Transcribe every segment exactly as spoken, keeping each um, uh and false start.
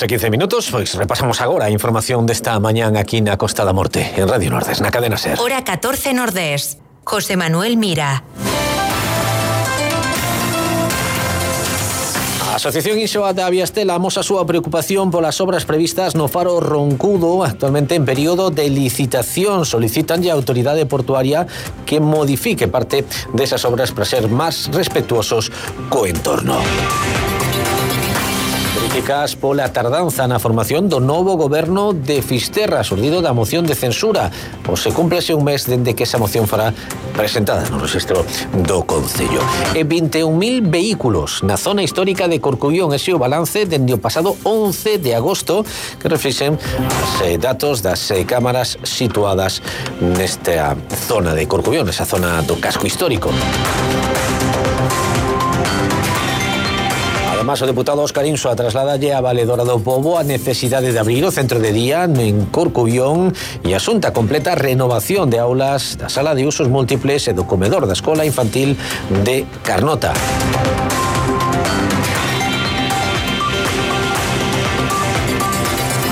e quince minutos, pois repasamos agora a información desta mañán aquí na Costa da Morte, en Radio Nordés, na cadena SER. Hora catorce Nordés. José Manuel Mira. A Asociación Insoa da Viastela amosa a súa preocupación polas obras previstas no faro Roncudo, actualmente en período de licitación. Solicitanlle a autoridade portuaria que modifique parte desas obras para ser máis respetuosos co entorno. Críticas pola tardanza na formación do novo goberno de Fisterra, surdido da moción de censura. Pois se cúmplese un mes dende que esa moción fará presentada no rexistro do Concello. E vinte e un mil vehículos na zona histórica de Corcubión. Ese é o balance dende o pasado once de agosto, que reflexen os eh, datos das eh, cámaras situadas nesta zona de Corcubión, esa zona do casco histórico. Además, o deputado Óscar Insoa trasladalle a Valedora do Pobo a necesidade de abrir o centro de día en Corcubión e asunta completa renovación de aulas da sala de usos múltiples e do comedor da escola infantil de Carnota.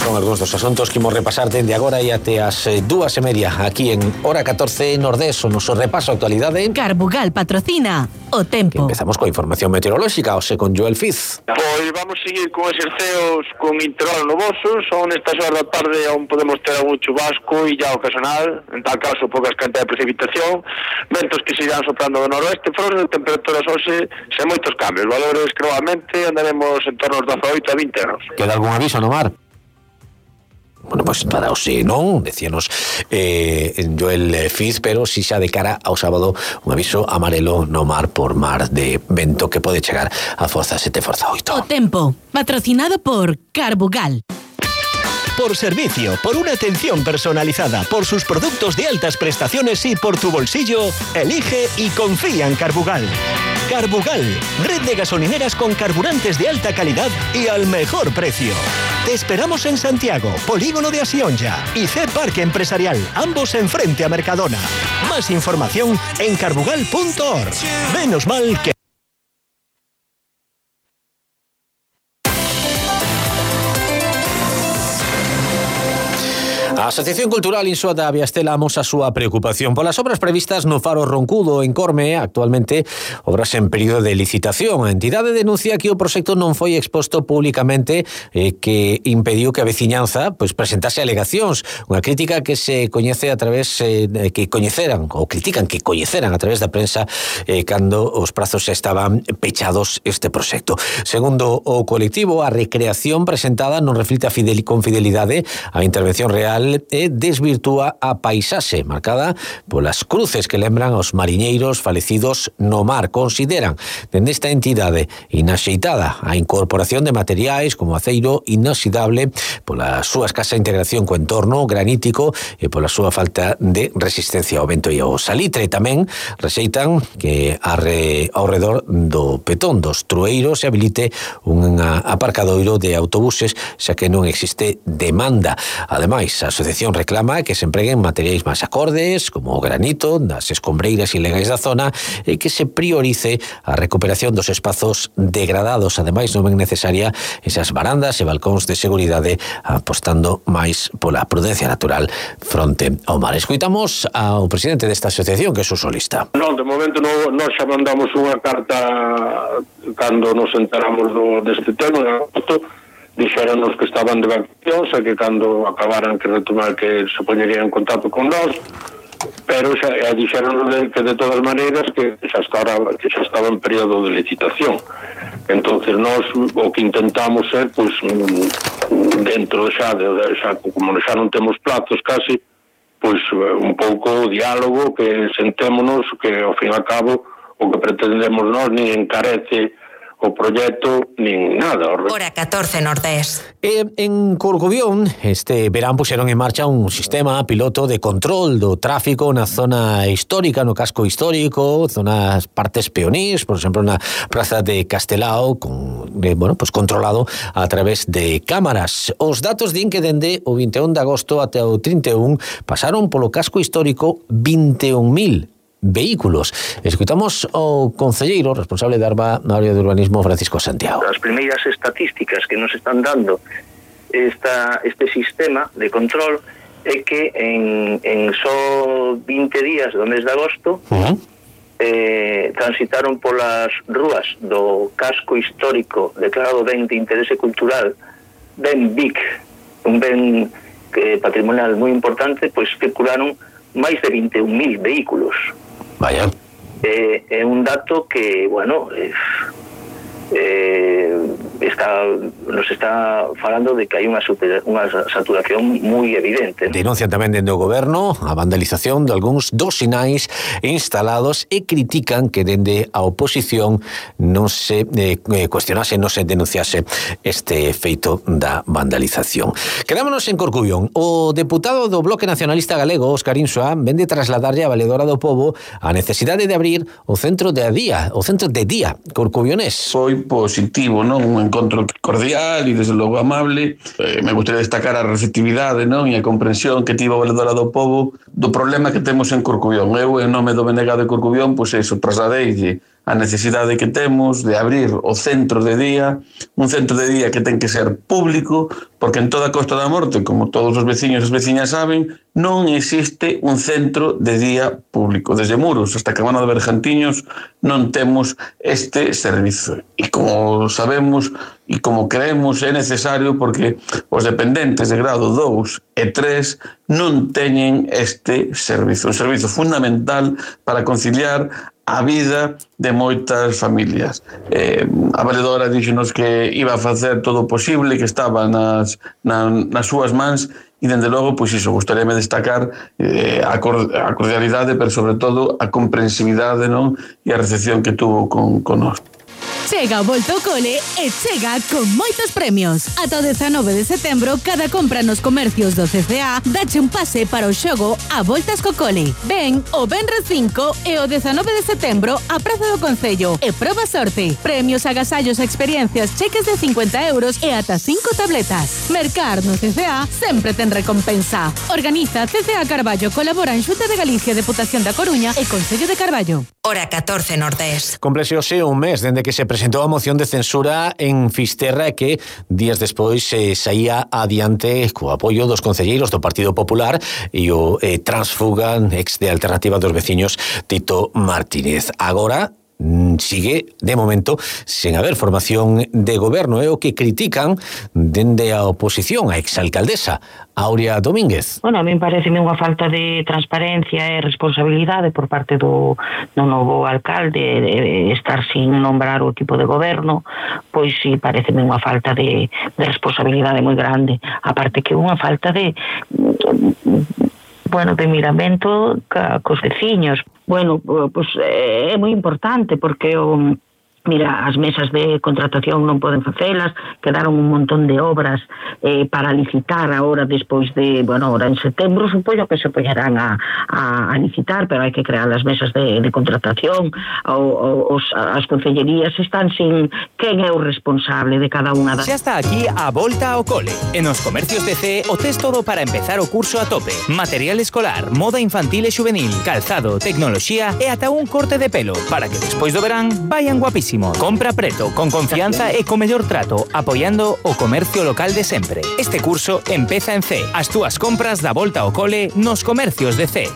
Son algúns dos asuntos que imos repasar dende agora e até as dúas e media aquí en Hora catorce Nordés, o noso repaso a actualidade. Carbugal patrocina o tempo. Que empezamos coa información meteorolóxica, ose con Joel Fiz. Pois vamos seguir con exerceos con intervalos nubosos. Son estas horas da tarde aún podemos ter algún chubasco e ya ocasional, en tal caso poucas cantidades de precipitación, ventos que se irán soprando do noroeste, frones de temperaturas hoxe sen moitos cambios, valores que novamente andaremos en torno aos dezaoito a vinte graus. Queda algún aviso no mar? Bueno, pois pues para hoxe non, decíanos eh, Joel Fiz, pero si xa de cara ao sábado un aviso amarelo no mar por mar de vento que pode chegar a forza sete, forza oito. O tempo, patrocinado por Carbugal. Por servicio, por una atención personalizada, por sus productos de altas prestaciones y por tu bolsillo, elige y confía en Carbugal. Carbugal, red de gasolineras con carburantes de alta calidad y al mejor precio. Te esperamos en Santiago, Polígono de Asionja y C Parque Empresarial, ambos enfrente a Mercadona. Más información en carbugal punto org. Menos mal que... A Asociación Cultural Insoa da Viastela amosa a súa preocupación polas obras previstas no faro Roncudo en Corme, actualmente obras en período de licitación. A entidade denuncia que o proxecto non foi exposto públicamente e que impediu que a veciñanza pois presentase alegacións, unha crítica que se coñece a través eh, que coñeceran ou critican que coñeceran a través da prensa eh, cando os prazos xa estaban pechados este proxecto. Segundo o colectivo, a recreación presentada non reflite a fidel, con fidelidade a intervención real e desvirtúa a paisaxe marcada polas cruces que lembran aos mariñeiros falecidos no mar. Consideran dende esta entidade inaxeitada a incorporación de materiais como aceiro inoxidable pola súa escasa integración co entorno granítico e pola súa falta de resistencia ao vento e ao salitre. Tamén rexeitan que arre, ao redor do petón dos trueiros se habilite un aparcadoiro de autobuses, xa que non existe demanda. Ademais, a asociación reclama que se empreguen materiais máis acordes, como o granito das escombreiras ilegais da zona, e que se priorice a recuperación dos espazos degradados. Ademais, non é necesaria esas barandas e balcóns de seguridade, apostando máis pola prudencia natural fronte ao mar. Escoitamos ao presidente desta asociación, que é o solista. Non, de momento non, nós xa mandamos unha carta cando nos enteramos do, deste tema, de agosto, dixéronos que estaban de vacacións e que cando acabaran que retomar que se poñerían en contacto con nós, pero xa dixéronos de, que de todas maneiras que xa estaba, que xa estaba en período de licitación. Entonces nós o que intentamos é, pois, dentro xa, de, xa como xa non temos plazos casi, pois un pouco o diálogo, que sentémonos, que ao fin e ao cabo o que pretendemos nós ni encarece o proxecto nin nada. Hora catorce Nordés. E en Corcubión este verán puxeron en marcha un sistema piloto de control do tráfico na zona histórica, no casco histórico, zonas partes peonís, por exemplo na praza de Castelao, con, eh, bueno, pues controlado a través de cámaras. Os datos din que dende o vinte e un de agosto até o trinta e un pasaron polo casco histórico vinte e un mil vehículos. Escuitamos ao concelleiro responsable da área de urbanismo, Francisco Santiago. As primeiras estatísticas que nos están dando esta, este sistema de control é que en, en só vinte días do mes de agosto uh-huh. eh, transitaron polas rúas do casco histórico declarado ben de interese cultural, ben B I C, un ben eh, patrimonial moi importante, pois circularon máis de vinte e un mil vehículos. Vaya. É eh, un dato que, bueno, eh, eh, está, nos está falando de que hai unha, super, unha saturación moi evidente, ¿no? Denuncian tamén dende o goberno a vandalización de algúns dos sinais instalados e critican que dende a oposición non se eh, cuestionase, non se denunciase este feito da vandalización. Quedámonos en Corcubión. O deputado do Bloque Nacionalista Galego, Óscar Insua, vende trasladarlle a Valedora do Pobo a necesidade de abrir o centro de día, o centro de día corcubionés. Foi positivo, non? Un encontro cordial e desde logo amable. Eh, me gustaría destacar a receptividade, non? E a comprensión que tivo a Valedora do Pobo do problema que temos en Corcubión. Eu, en nome do B N G de Corcubión, pois eso, trasladeille a necesidade que temos de abrir o centro de día, un centro de día que ten que ser público, porque en toda a Costa da Morte, como todos os veciños e as veciñas saben, non existe un centro de día público. Desde Muros hasta Cabana de Bergantiños non temos este servizo. E como sabemos e como creemos é necesario porque os dependentes de grado dous e tres non teñen este servizo. Un servizo fundamental para conciliar a vida de moitas familias. Eh, a Valedora díxonos que iba a facer todo o posible, que estaba nas, na, nas súas mans, e dende logo, pois iso, gustaríame destacar eh, a, cor, a cordialidade, pero sobre todo a comprensividade, non? E a recepción que tuvo con, con nós. Chega o Volta ao Cole e chega con moitos premios. Ata o dezanove de setembro, cada compra nos comercios do C C A dache un pase para o xogo a Voltas co Cole. Ven o Benres cinco e o dezanove de setembro a Praza do Concello e proba sorte. Premios, agasallos, experiencias, cheques de cincuenta euros e ata cinco tabletas. Mercar no C C A sempre ten recompensa. Organiza C C A Carballo, colabora en Xunta de Galicia, Deputación da Coruña e Concello de Carballo. Hora catorce Nordés. Complexeose un mes dende que se presentou a moción de censura en Fisterra que días despois se eh, saía adiante co apoio dos concelleiros do Partido Popular e o eh, transfuga ex de Alternativa dos Veciños Tito Martínez. Agora sigue, de momento, sen haber formación de goberno. É o que critican dende a oposición, a exalcaldesa Aurea Domínguez. Bueno, a mí pareceme unha falta de transparencia e responsabilidade por parte do, do novo alcalde de estar sin nombrar o equipo de goberno, pois sí, pareceme unha falta de, de responsabilidade moi grande. Aparte que unha falta de... bueno, de miramento ca, cos veciños. Bueno, pois é moi importante porque o, mira, as mesas de contratación non poden facelas, quedaron un montón de obras eh, para licitar agora despois de, bueno, ahora en setembro supoño que se poñerán a, a, a licitar, pero hai que crear as mesas de, de contratación, o, o, os, as concellerías están sin quen é o responsable de cada unha das... Xa está aquí a Volta ao Cole. En os comercios de C o tes todo para empezar o curso a tope. Material escolar, moda infantil e juvenil, calzado, tecnoloxía e ata un corte de pelo, para que despois do verán vayan guapísimos. Compra preto, con confianza e co mellor trato, apoiando o comercio local de sempre. Este curso empeza en C. As túas compras da Volta ao Cole nos comercios de C.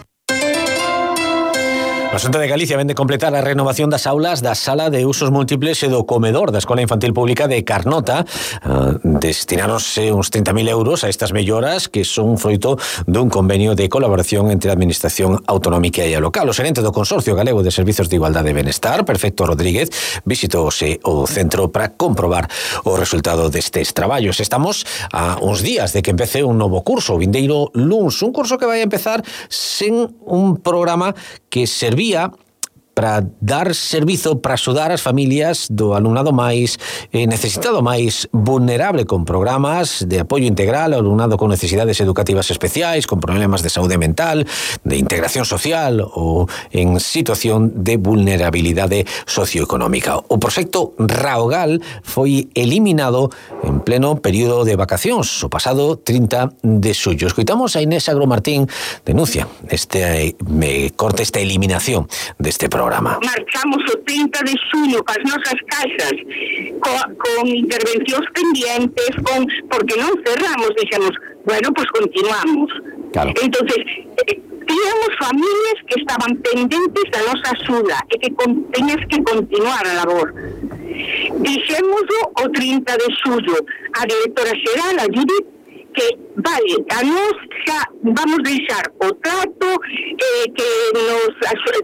A Xunta de Galicia vende completar a renovación das aulas da sala de usos múltiples e do comedor da Escola Infantil Pública de Carnota. Uh, destinaronse uns trinta mil euros a estas melloras que son froito dun convenio de colaboración entre a Administración Autonómica e a local. O xerente do Consorcio Galego de Servizos de Igualdade e Benestar, Perfecto Rodríguez, visitouse o centro para comprobar o resultado destes traballos. Estamos a uns días de que empece un novo curso, o vindeiro luns, un curso que vai a empezar sen un programa que servía para dar servizo, para axudar as familias do alumnado máis eh, necesitado, máis vulnerable, con programas de apoio integral ao alumnado con necesidades educativas especiais, con problemas de saúde mental, de integración social ou en situación de vulnerabilidade socioeconómica. O proxecto Raogal foi eliminado en pleno período de vacacións o pasado trinta de xullo. Escoitamos a Inés Agromartín, denuncia este eh, corte, esta eliminación deste programa. programa. Marchamos o trinta de xuño cas nosas casas co, con intervencións pendientes, con porque non cerramos, dixemos, bueno, pues continuamos. Claro. Entonces, eh, tíamos familias que estaban pendentes da nosa axuda e que con, teñas que continuar a labor. Dixémoslo o trinta de xullo a directora xeral, a Judith, que vale, a nos xa vamos deixar o trato, eh, que nos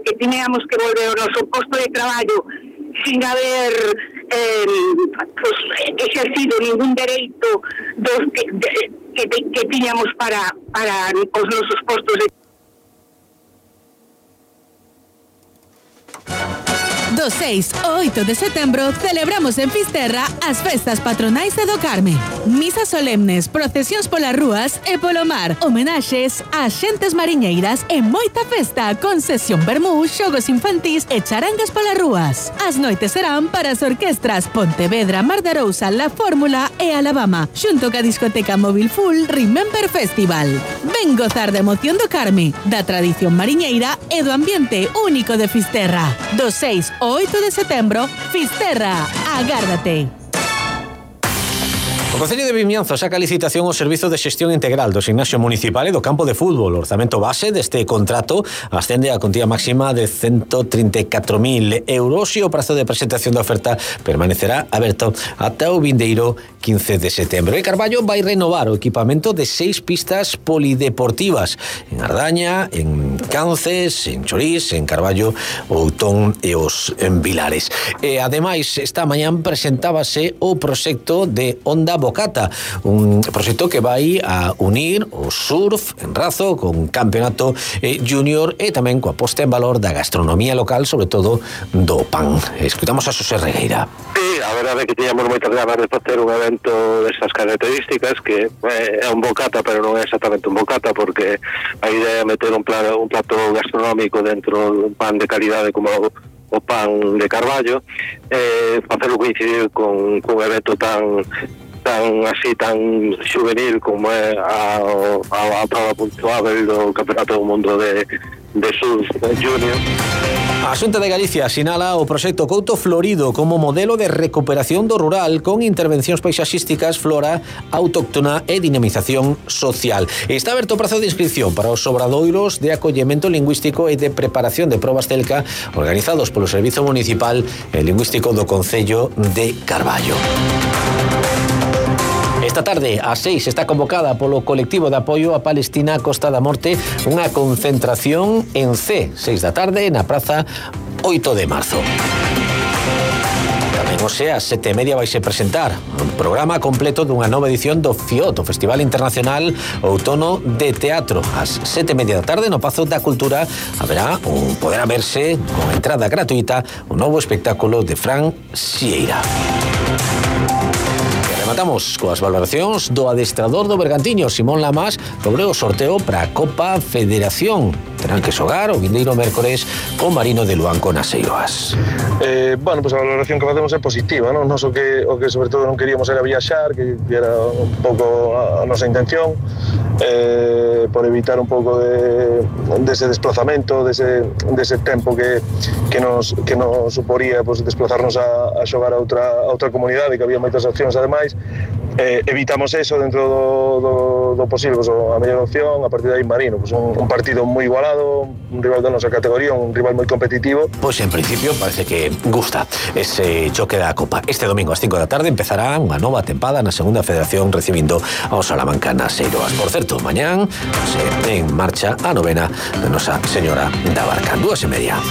que tiñamos que volver ao noso posto de traballo sin haber eh, pues, exercido ningún dereito dos que, de, que, que tiñamos para, para os nosos postos de Do seis ao oito de setembro celebramos en Fisterra as festas patronais de do Carme. Misas solemnes, procesións polas rúas e polo mar, homenaxes a xentes mariñeiras e moita festa con sesión vermú, xogos infantís e charangas polas rúas. As noites serán para as orquestras Pontevedra, Mar de Arousa, La Fórmula e Alabama, xunto ca discoteca Móvil Full Remember Festival. Ven gozar da emoción do Carme, da tradición mariñeira e do ambiente único de Fisterra. Do seis ao oito de setembro, Fisterra, agárdate. O Concello de Vimianzo saca a licitación o servizo de xestión integral do gimnasio municipal e do campo de fútbol. O orzamento base deste contrato ascende a contía máxima de ciento trinta e catro mil euros e o prazo de presentación da oferta permanecerá aberto ata o vindeiro quince de setembro. E Carballo vai renovar o equipamento de seis pistas polideportivas en Ardaña, en Cances, en Chorís, en Carballo, Outón e os en Vilares. E ademais, esta mañán presentábase o proxecto de Onda Bocata, un proxecto que vai a unir o surf en Razo con campeonato eh, junior e tamén coa posta en valor da gastronomía local, sobre todo do pan. Escutamos a Xosé Regueira. Sí, a verdade é que tiñamos moitas ganas de facer un evento destas características que eh, é un bocata, pero non é exactamente un bocata, porque a idea é meter un, plan, un plato gastronómico dentro dun pan de calidade como o, o pan de Carballo, eh, facelo coincidir con, con un evento tan tan así, tan juvenil como é a, a, a prova puntuável do Campeonato do Mundo de, de Surf Junior. A Xunta de Galicia sinala o proxecto Couto Florido como modelo de recuperación do rural con intervencións paisaxísticas, flora autóctona e dinamización social. Está aberto o prazo de inscripción para os obradoiros de acollemento lingüístico e de preparación de probas Telca organizados polo Servizo Municipal e Lingüístico do Concello de Carballo. Esta tarde, ás seis, está convocada polo colectivo de apoio a Palestina Costa da Morte unha concentración en C, seis da tarde, na praza oito de marzo. Tamén o sea, ás sete e media vaise presentar un programa completo dunha nova edición do FIOT, o Festival Internacional Outono de Teatro. Ás sete e media da tarde, no Pazo da Cultura, haberá un poderá verse con entrada gratuita un novo espectáculo de Fran Sieira. Rematamos coas valoracións do adestrador do Bergantiño, Simón Lamas, sobre o sorteo para a Copa Federación. Terán que xogar o vindeiro mércores con Marino de Luanco nas Eiroas. Eh, bueno, pues a valoración que facemos é positiva, non? Nos o que, o que sobre todo non queríamos era viaxar, que era un pouco a, a nosa intención, eh, por evitar un pouco de, dese desplazamento, dese, dese tempo que, que, nos, que nos suporía pues, desplazarnos a, a xogar a outra, a outra comunidade, que había moitas opcións ademais. Eh, evitamos eso dentro do, do, do posible, pues, a mellor opción, a partir de aí Marino, pues, un, un partido moi igualado, un rival da nosa categoría, un rival moi competitivo. Pois en principio parece que gusta ese choque da Copa. Este domingo ás cinco da tarde empezará unha nova tempada na segunda federación recibindo ao Salamanca nas Eiroas. Por certo, mañán se en marcha a novena de Nosa Señora da Barca, dúas e media.